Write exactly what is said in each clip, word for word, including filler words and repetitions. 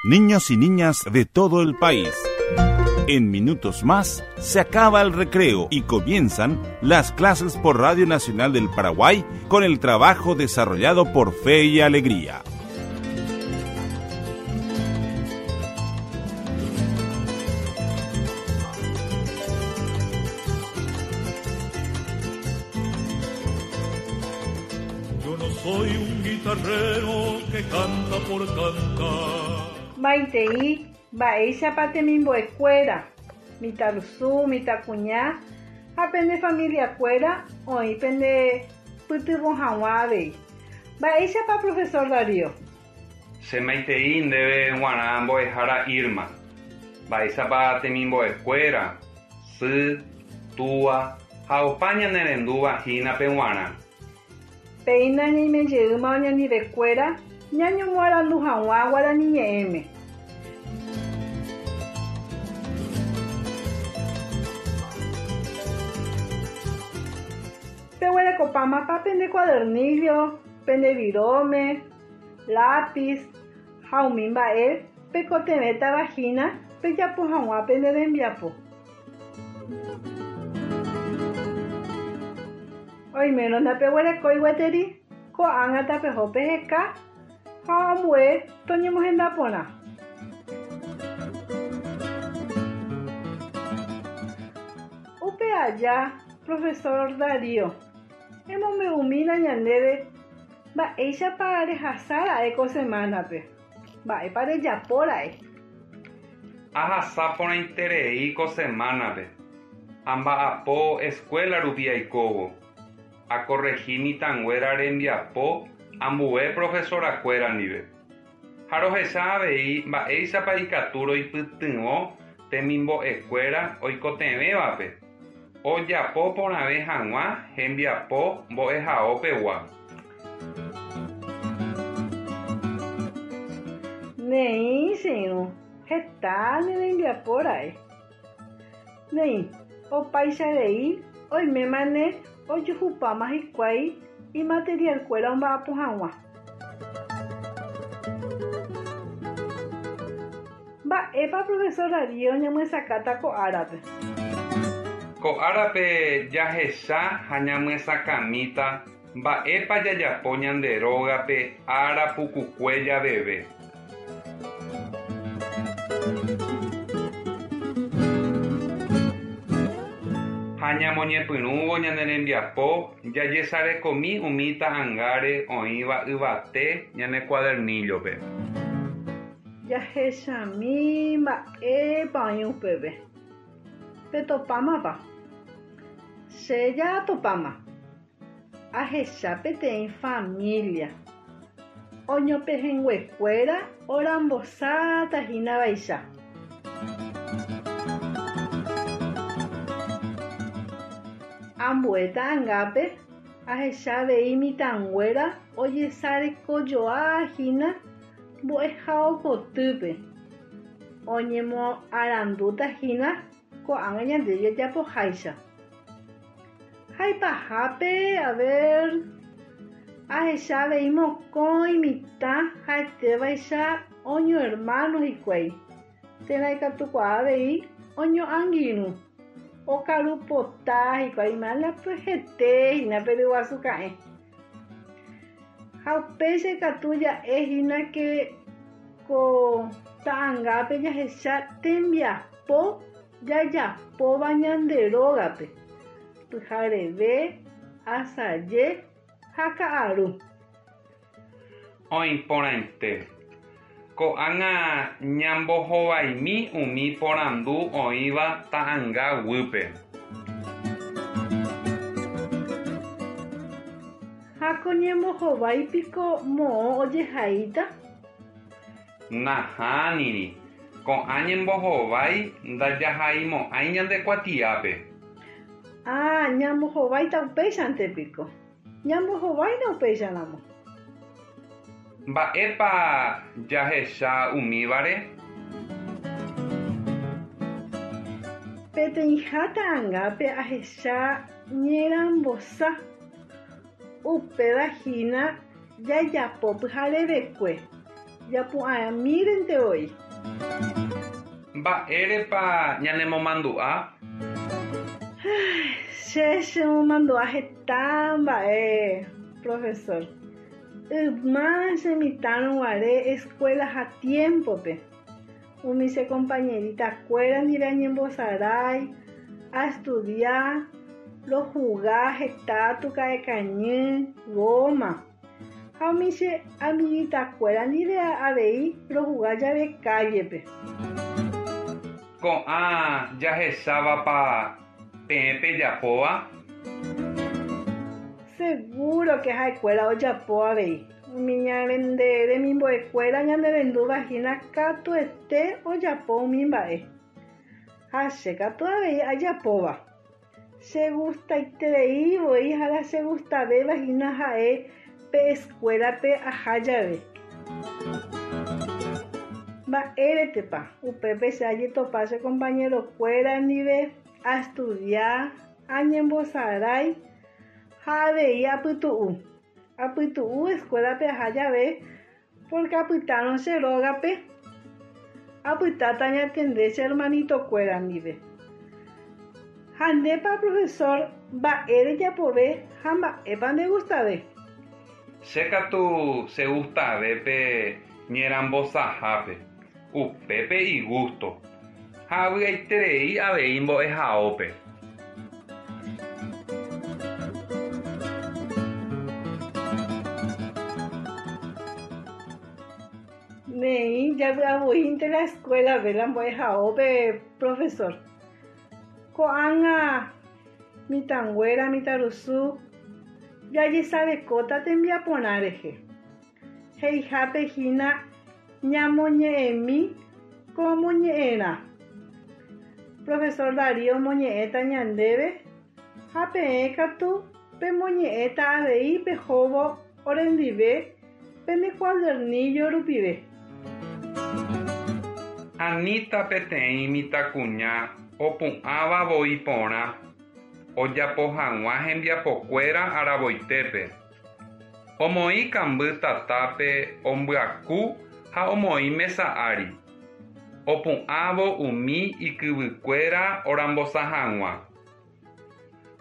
Niños y niñas de todo el país. En minutos más se acaba el recreo y comienzan las clases por Radio Nacional del Paraguay con el trabajo desarrollado por Fe y Alegría. Yo no soy un guitarrero que canta por cantar. Maitei, mba'éichapa temimbo'ekuéra, mitãrusu, mitãkuña ha pende familiakuéra oĩ pende pytyvõ hag̃ua avei. Mba'éichapa profesor Darío? Che maitei ndéve g̃uarã mbo'ehára Irma. Mba'éichapa temimbo'ekuéra, sy, túa ha opa ñanerendúva hínape g̃uarã. Péina ñaimejeýma oñandivekuéra ñañomoarandu hag̃ua guarani ñe'ẽme. Peguerekopámapa pende cuadernillo, pende virome, lápiz ha umi mba'e pekotevẽtava hína pejapo hag̃ua pende rembiapo. Oimérõ ndapeguerekói gueteri ko'ág̃a tapeho peheka ha ambue toñemohenda porã. Upe aja, profesor Darío, emombe'umína ñandéve mba'éichapa rehasára'e ko semanape. Mba'épa rejapóra'e. Ahasa porãiterei ko semanape. Amba'apo escuela rupi aikóvo. Akorrehi mitãnguéra rembiapo ambue profesorakuéra ndive. Ha rohecha avei mba'éichapa ikatu roipytyvõ temimbo'ekuéra oikotevẽvape ojapo porãve hag̃ua hembiapo mbo'ehaópegua. Néi che irũ, heta ne rembiapóra'e. Néi, opaichavéi oimémane ojuhupáma hikuái imaterialkuéra omba'apo hag̃ua. Mba'épa profesor Darío ñamyesakãta ko árape? Ko árape jahecha ha ñamyesakãmíta mba'épa jajapo ñande rógape ára pukukue javeve. Ha ñamoñepyrũvo ñane rembiapo jajesarekomi umi ta'ãngáre oĩva yvate ñane cuadernillo-pe. Jahechami mba'épa oĩ upépe. Petopámapa. Che jatopáma. Ahecha peteĩ familia. Oñopehẽnguekuéra orambosáta hína vaicha. Ambue ta'ãngápe ahecha avei mitãnguéra ojesarekojoa hína mbo'ehaokotýpe. Oñemoarandúta hína ko'ág̃a ñande jajapoháicha. Ha ipahápe, a ver, ahecha avei mokõi mitã ha'etévaicha oñohermano hikuái. Térã ikatukuaa avei oñoangirũ. Okarupota hikuái hete hína pe ryguasu ka'ẽ. Ha upéicha ikatu ja'e hína ke ko ta'ãngápe jahecha tembiapo jajapóva ñande rógape. Pyhareve, asaje ha ka'aru. Oĩporãite. Ko'ág̃a ñambohovaimi umi porandu oĩva ta'ãnga guýpe. Ha ko ñembohováipiko moõ ojehaíta? Nahániri. Ko'ã ñembohovái ndajahaimo'ãi ñande kuatiápe. Ah, ñambohováita upéichante piko. Ñambohováina upéicharamo. Mba'épa jahecha umívare? Peteĩha ta'ãngápe ahecha ñerambosa. Upéva hína jajapo pyharevekue. Japu'ãmírente voi. Mba'érepa ñanemomandu'a? Che chemomandu'a heta mba'e, profesor. Yma chemitãrõguare escuela ha tiempope. Umi che compañeritakuéra ndive añembosarái, aestudia, rohuga heta tuka'ẽkañy, goma. Ha umi che amiguitakuéra ndive avei rohuga jave callepe. Ko'ã jahechávapa peẽ pejapóva? Seguro que ha'ekuéra ojapo avei. Umi ñande remimbo'ekuéra ñanerendúvahína katuete ojapo umi mba'e. Ha che katu avei ajapóva. Chegustaiterei voi ha la chegustavévahína ha'e pe escuelape aha jave. Mba'éretepa upépe che ajetopa che compañerokuéra ndive aestudia, añembosarái ha avei apytu'u. Apytu'u escuelape aha jave porque apytárõ che rógape apytáta añatende che hermanitokuéra ndive. Ha ndépa profesor mba'e rejapove ha mba'épa ndegustave? Che katu chegustave pe ñerambosahápe, upépe igusto ha avy'aiterei avei mbo'ehaópe. Néi javy'avoínte la escuelape la mbo'ehaópe profesor. Ko'ág̃a mitãnguéra mitãrusu jajesarekóta tembiaporã rehe. He'ihápe hína ñamoñe'ẽmi ko moñe'ẽrã. Profesor Darío omoñe'ẽta ñandéve ha peẽ katu pemoñe'ẽta avei pehóvo orendive pende cuadernillo rupive. Anita peteĩ mitãkuña opu'ãva voi porã ojapo hag̃ua hembiapokuéra aravoitépe. Omoĩ kamby tatápe ombyaku ha omoĩ mesa ári. Opu'ãvo umi ikyvykuéra orambosa hag̃ua.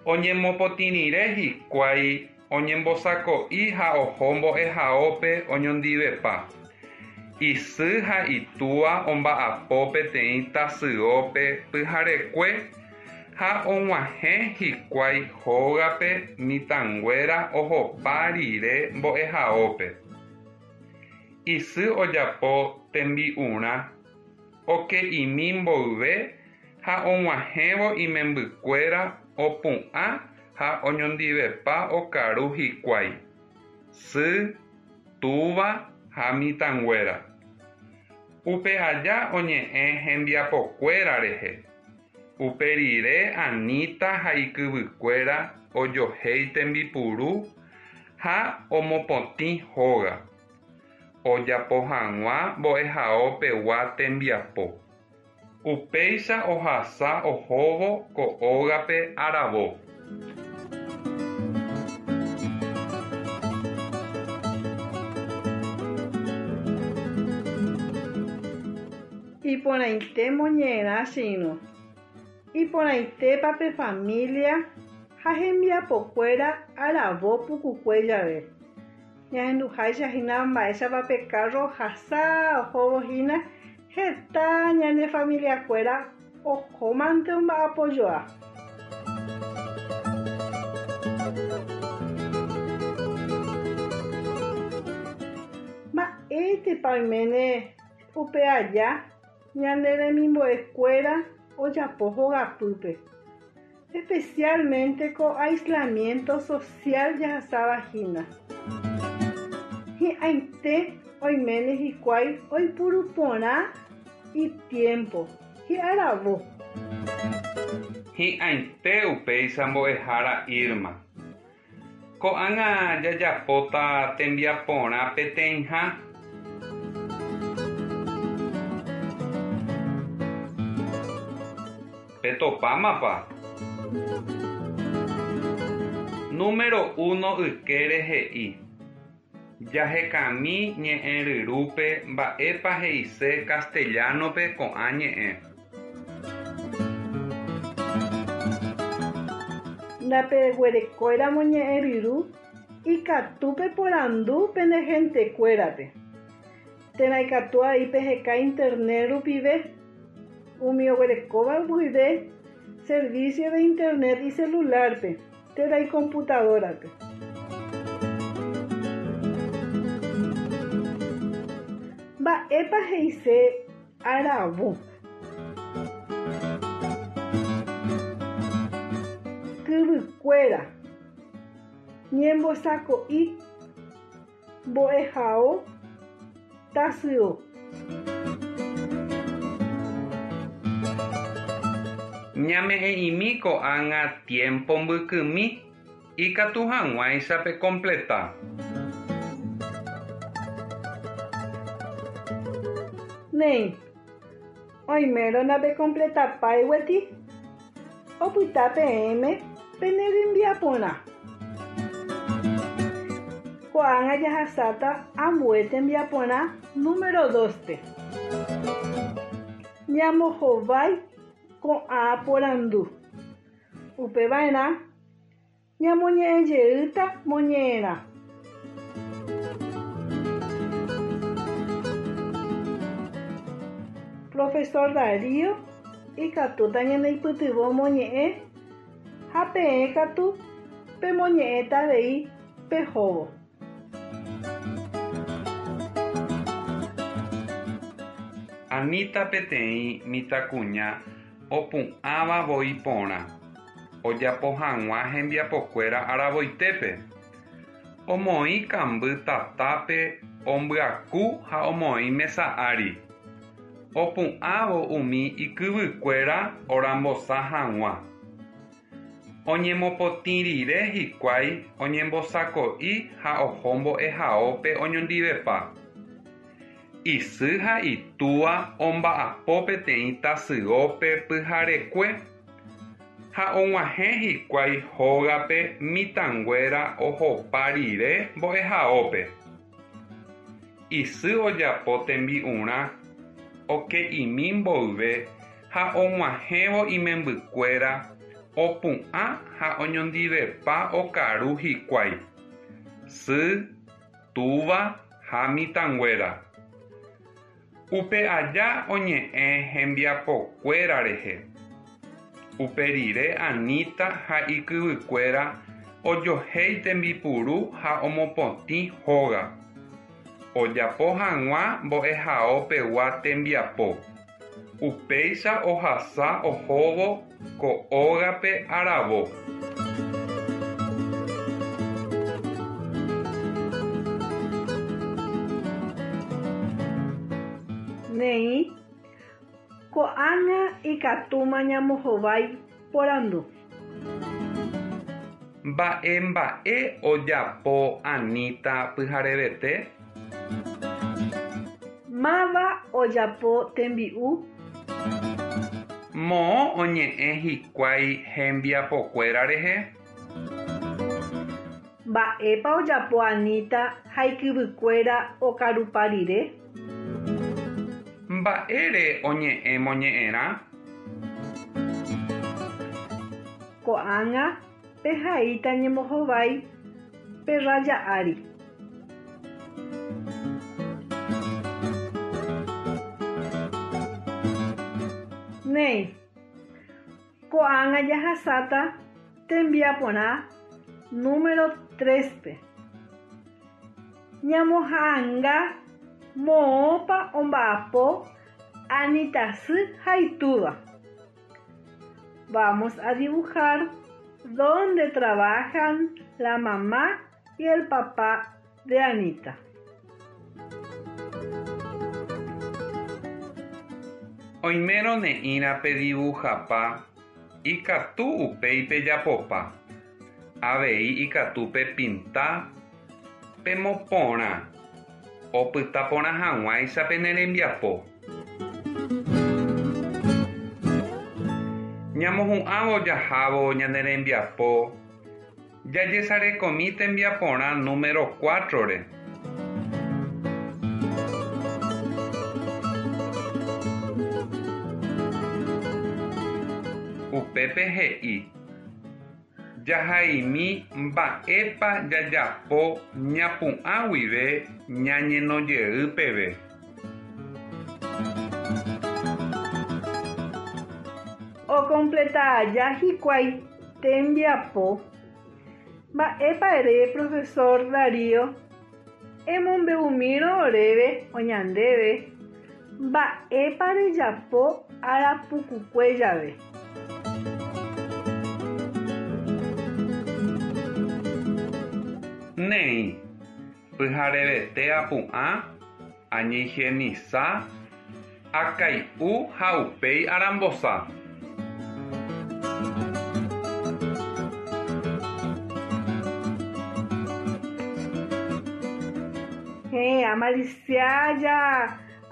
Oñemopotĩrire hikuái oñembosako'i ha oho mbo'ehaópe oñondivepa. Isy ha itúa omba'apo peteĩ tasyópe pyharekue ha og̃uahẽ hikuái hógape mitãnguéra ohopa rire mbo'ehaópe. Isy ojapo tembi'urã oke'imi mboyve ha og̃uahẽvo imembykuéra opu'ã ha oñondivepa okaru hikuái. Sy, túva ha mitãnguéra. Upe aja oñe'ẽ hembiapokuéra rehe. Upe rire Anita ha ikyvykuéra ojohéi tembipuru ha omopotĩ hóga. Ojapo hag̃ua mbo'ehaopegua tembiapo. Upéicha ohasa ohóvo ko ógape aravo. Iporãite moñe'ẽrã che irũ. Iporãitépa pe familia ha hembiapokuéra aravo pukukue jave. Ñahenduháicha hína mba'éichapa pe carro ohasa ohóvo hína heta ñane familiakuéra ohómante omba'apojoa. Mba'éitepa oiméne upe aja ñane remimbo'ekuéra ojapo hogapýpe. Especialmente ko aislamiento social jahasávahína. Hi'ãite oiméne hikuái oipuru porã itiempo, hi'aravo. Hi'ãite upéicha mbo'ehára Irma. Ko'ág̃a jajapóta tembiaporã peteĩha. Petopámapa. Número uno ykére he'i. Jahekami ñe'ẽryrúpe mba'épa he'ise castellano-pe ko'ã ñe'ẽ. Ndapeguerekóiramo ñe'ẽryru ikatu peporandu pene gentekuérape. Térã ikatu avei peheka internet rupive umi oguerekóva guive servicio de internet icelular-pe térã icomputadora-pe. Mba'épa he'ise aravo. Kyvykuéra ñembosako'i mbo'ehao tasyo. Ñame'ẽ'imi ko'ág̃a tiempo mbykymi ikatu hag̃uáicha pecompleta. Néi, oimérõ napecompletapái gueteri, opyta peẽme pene rembiaporã. Ko'ág̃a jahasáta ambue tembiaporã número dos-pe. Ñambohovái ko'ã porandu. Upeva'erã ñamoñe'ẽjeýta moñe'ẽrã. Profesor Darío ikatúta ñaneipytyvõ moñe'ẽ ha peẽ katu pemoñe'ẽta avei pehóvo. Anita peteĩ mitãkuña opu'ãva voi porã ojapo hag̃ua hembiapokuéra aravoitépe. Omoĩ kamby tatápe ombyaku ha omoĩ mesa ári. Opu'ãvo umi ikyvykuéra orambosa hag̃ua. Oñemopotĩ rire hikuái oñembosako'i ha oho mbo'ehaópe oñondivepa. Isy ha itúva omba'apo peteĩ tasyópe pyharekue ha og̃uahẽ hikuái hógape mitãnguéra ohopa rire mbo'ehaópe. Isy ojapo tembi'urã oke'imi mboyve ha og̃uahẽvo imembykuéra opu'ã ha oñondivepa okaru hikuái. Sy, túva ha mitãnguéra. Upe aja oñe'ẽ hembiapokuéra rehe. Upe rire Anita ha ikyvykuéra ojohéi tembipuru ha omopotĩ hóga. Ojapo hag̃ua mbo'ehaopegua tembiapo. Upéicha ohasa ohóvo ko ógape aravo. Néi, ko'ág̃a ikatúma ñambohovái porandu. Mba'e mba'e ojapo Anita pyharevete? Máva ojapo tembi'u? Moõ oñe'ẽ hikuái hembiapokuéra rehe? Mba'épa ojapo Anita ha ikyvykuéra okarupa rire? Mba'ére oñe'ẽ moñe'ẽrã? Ko'ág̃a pehaíta ñembohovái pe raya ári. Néi, ko'ág̃a jahasáta tembiaporã número tres-pe. Ñamoha'ãnga moõpa omba'apo Anita sy ha itúva. Vamos a dibujar dónde trabajan la mamá y el papá de Anita. Oimérõ ne'írã pedibujapa ikatu upéi pejapopa. Avei ikatu pepinta pemoporã opyta porã hag̃uáicha pene rembiapo. Ñamohu'ãvo jahávo ñane rembiapo jajesarekomi tembiaporã número cuatro-re. Upépe he'i jahaimi mba'épa jajapo ñapu'ã guive ñañeno jey peve. Ocompleta aja hikuái tembiapo. Mba'épa ere profesor Darío emombe'umírõ oréve oñandéve mba'épa rejapo ára pukukue jave. Néi, pyharevete apu'ã, añehigienisa, akai'u ha upéi arambosa. Héẽ, amalisiaja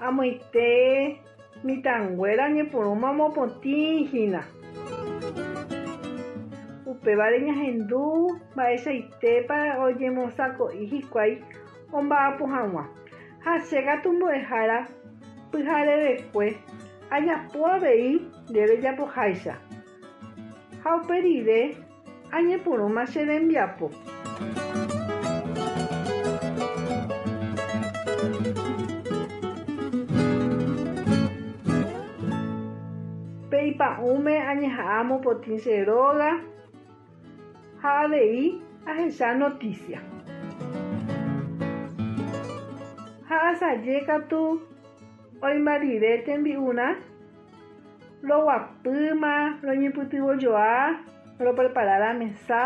amoite mitãnguéra oñepyrũma omopotĩhína. Upévare ñahendu mba'eichaitépa oñembosako'i hikuái omba'apo hag̃ua. Ha chékatu mbo'ehára pyharevekue ajapo avei nde rejapoháicha. Ha upe rire añepyrũma che rembiapo. Pe ipa'ũme añeha'ã amopotĩ che róga ha avei ahecha noticia. Ha asajékatu oĩmba rire tembi'urã roguapýma roñepytyvõjoa roprepara la mesa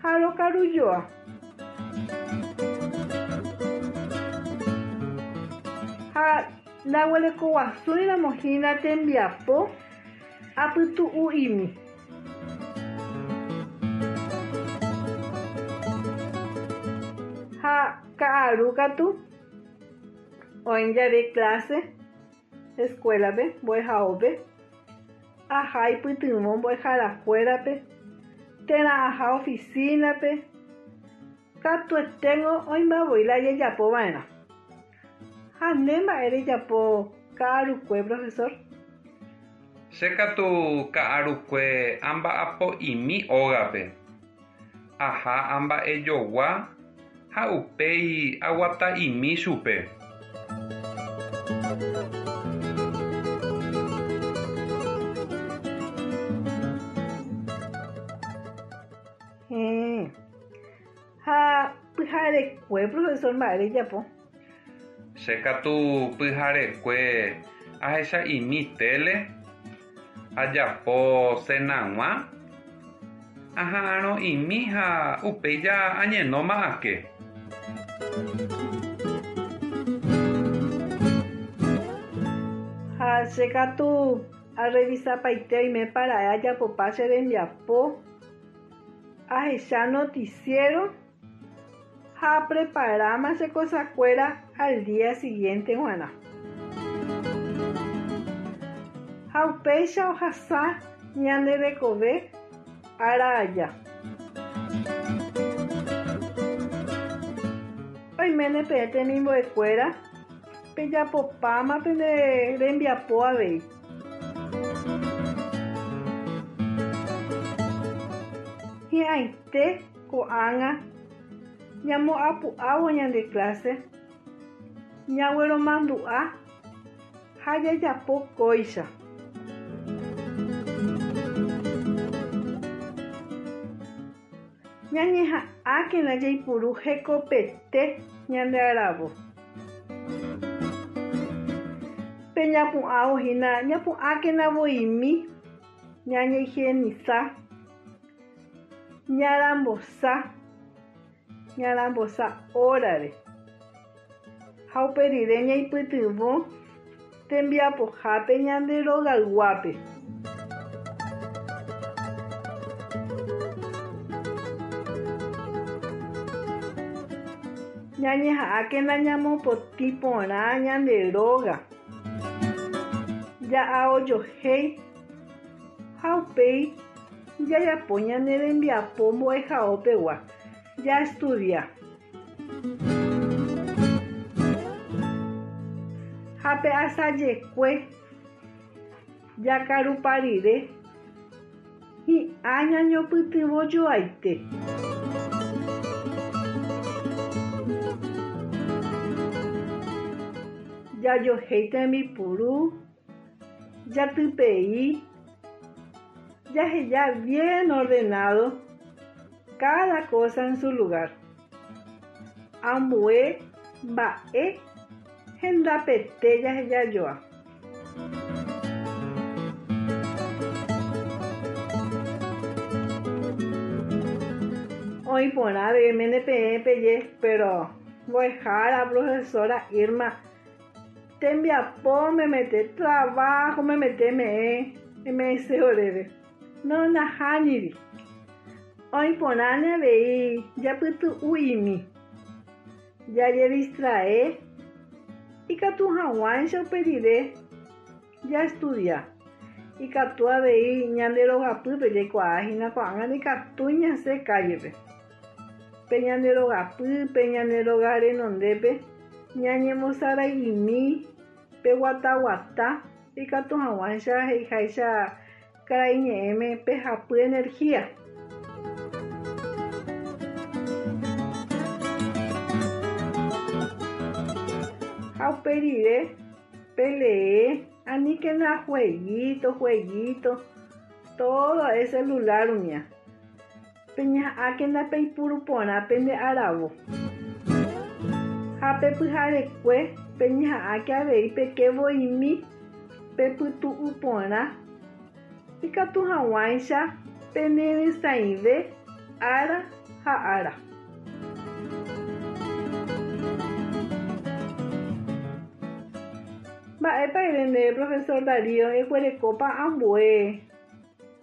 ha rokarujoa. Ha ndaguerekoguasúiramohína tembiapo apytu'u'imi. Ha ka'arúkatu oĩ jave clase escuela-pe mbo'ehaópe aha ipytyvõ mbo'eharakuérape térã aha oficina-pe katueténgo oĩmbavoi la jajapova'erã. Ha nde mba'e rejapo ka'arukue profesor. Chékatu ka'arukue amba'apo'imi ógape. Aha amba'ejogua ha upéi aguata'imi chupe. Héẽ. Ha pyharekue profesor mba'e rejapo. Chékatu pyharekue ahecha'imi tele, ajapo cenag̃ua, aha'arõ'imi ha upéi ja añenóma ake. Ha chékatu arrevisapaite oimépara'e ajapopa che rembiapo, ahecha noticiero ha apreparáma che kosakuéra al día siguiente g̃uarã. Ha upéicha ohasa ñande rekove ára aja. Oiméne peẽ temimbo'ekuéra pejapopáma pende rembiapo avei. Hi'ãite ko'ág̃a ñamoapu'ávo ñande clase ñagueromandu'a ha jajapo kóicha. Ñañeha'ãkena jaipuru hekopete ñande aravo. Pe ñapu'ãvohína ñapu'ãkena voimi ñañehigienisa ñarambosa ñarambosa hórare ha upe rire ñaipytyvõ tembiapohápe ñande rogayguápe. Ñañeha'ãkena ñamopotĩ porã ñande róga. Ja'aojohéi ha upéi jajapo ñane rembiapo mbo'ehaópegua jaestudia. Ha pe asajekue jakarupa rire Hi'ã ñañopytyvõjoaite. Jajohéi tembipuru, jatypei, jaheja bien ordenado cada cosa en su lugar. Ambue mba'e hendapete jahejajoa. Oĩ porã avei peẽ peje, pero mbo'ehára profesora Irma tembiapo memete trabajo memete me'ẽ eme'ẽse oréve. No nahániri. Oĩ porãne avei japytu'u'imi. Jajedistrae ikatu hag̃uáicha upe rire jaestudia. Ikatu avei ñande rogapýpe jaikuaahína ko'ág̃a ikatu ñasẽ callepe. Pe ñande rogapýpe ñande róga renondépe ñañemosara'imi pe guataguata ikatu hag̃uáicha he'iháicha karai ñe'ẽme pehapy energía. Ha upe rire pelee aníkena jueguito, jueguito, todo es celular umía. Peñeha'ãkena peipuru porã pende aravo. Ha pepyharekue peñeha'ãke avei pekevoimi pepytu'u porã ikatu hag̃uáicha peneresãive ára ha ára. Mba'épa ere profesor Darío eguerekópa ambue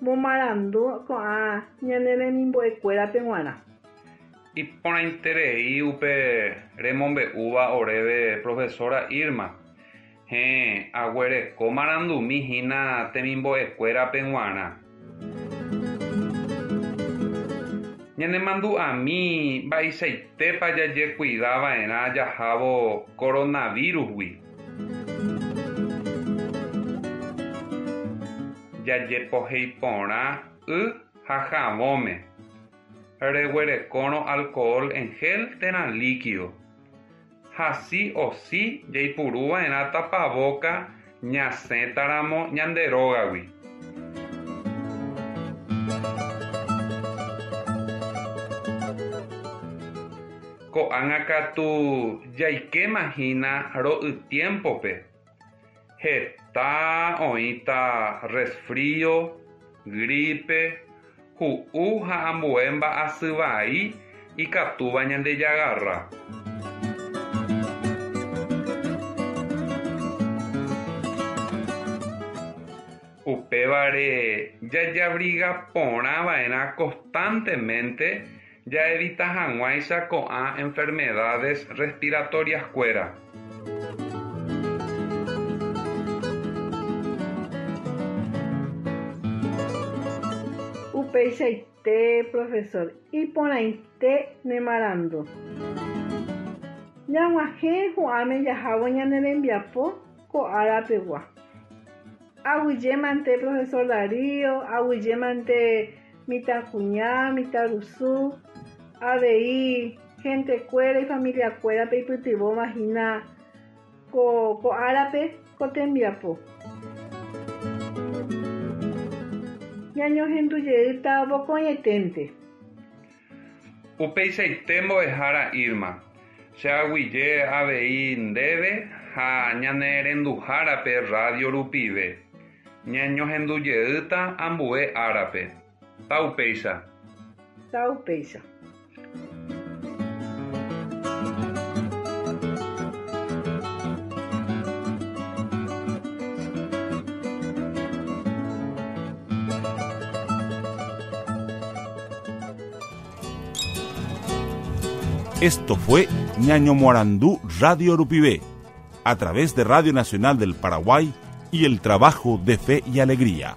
momarandu ko'ã ñane remimbo'ekuérape g̃uarã. Iporãiterei upe remombe'úva oréve profesora Irma. Héẽ, aguereko marandumi hína temimbo'ekuérape g̃uarã. Ñanemandu'ami mba'eichaitépa jajekuidava'erã jahávo coronavirus-gui. Jajepohéi porã y ha havõme. Reguerekórõ alcohol en gel térã líquido. Ha sí o sí jaipuruva'erã tapabóka ñasẽtaramo ñande rógagui. Ko'ág̃a katu jaikémahína ro'y tiempope. Heta oĩta resfrío, gripe, hu'u ha ambue mba'asy vai ikatúva ñandejagarra. Upévare jajabriga porãva'erã constantemente jaevita hag̃uáicha ko'ã enfermedades respiratorias-kuéra. Upeichaite, profesor, iporãite ne marandu. Ñag̃uahẽ hu'ãme jahávo ñane rembiapo ko árapegua. Aguyjémante profesor Darío, aguyjémante mitãkuña, mitãrusu, avei gentekuéra y familiakuérape ipytyvõvahína ko, ko árape ko tembiapo. Ñañohendujeýta vokóietente. Upeichaite mbo'ehára Irma. Che aguyje avei ndéve ha ñane renduhárape radio rupive. Ñañohendujeýta ambue árape. Taupéicha. Taupéicha. Esto fue Ñañomoarandú Radio Rupivé, a través de Radio Nacional del Paraguay y el trabajo de Fe y Alegría.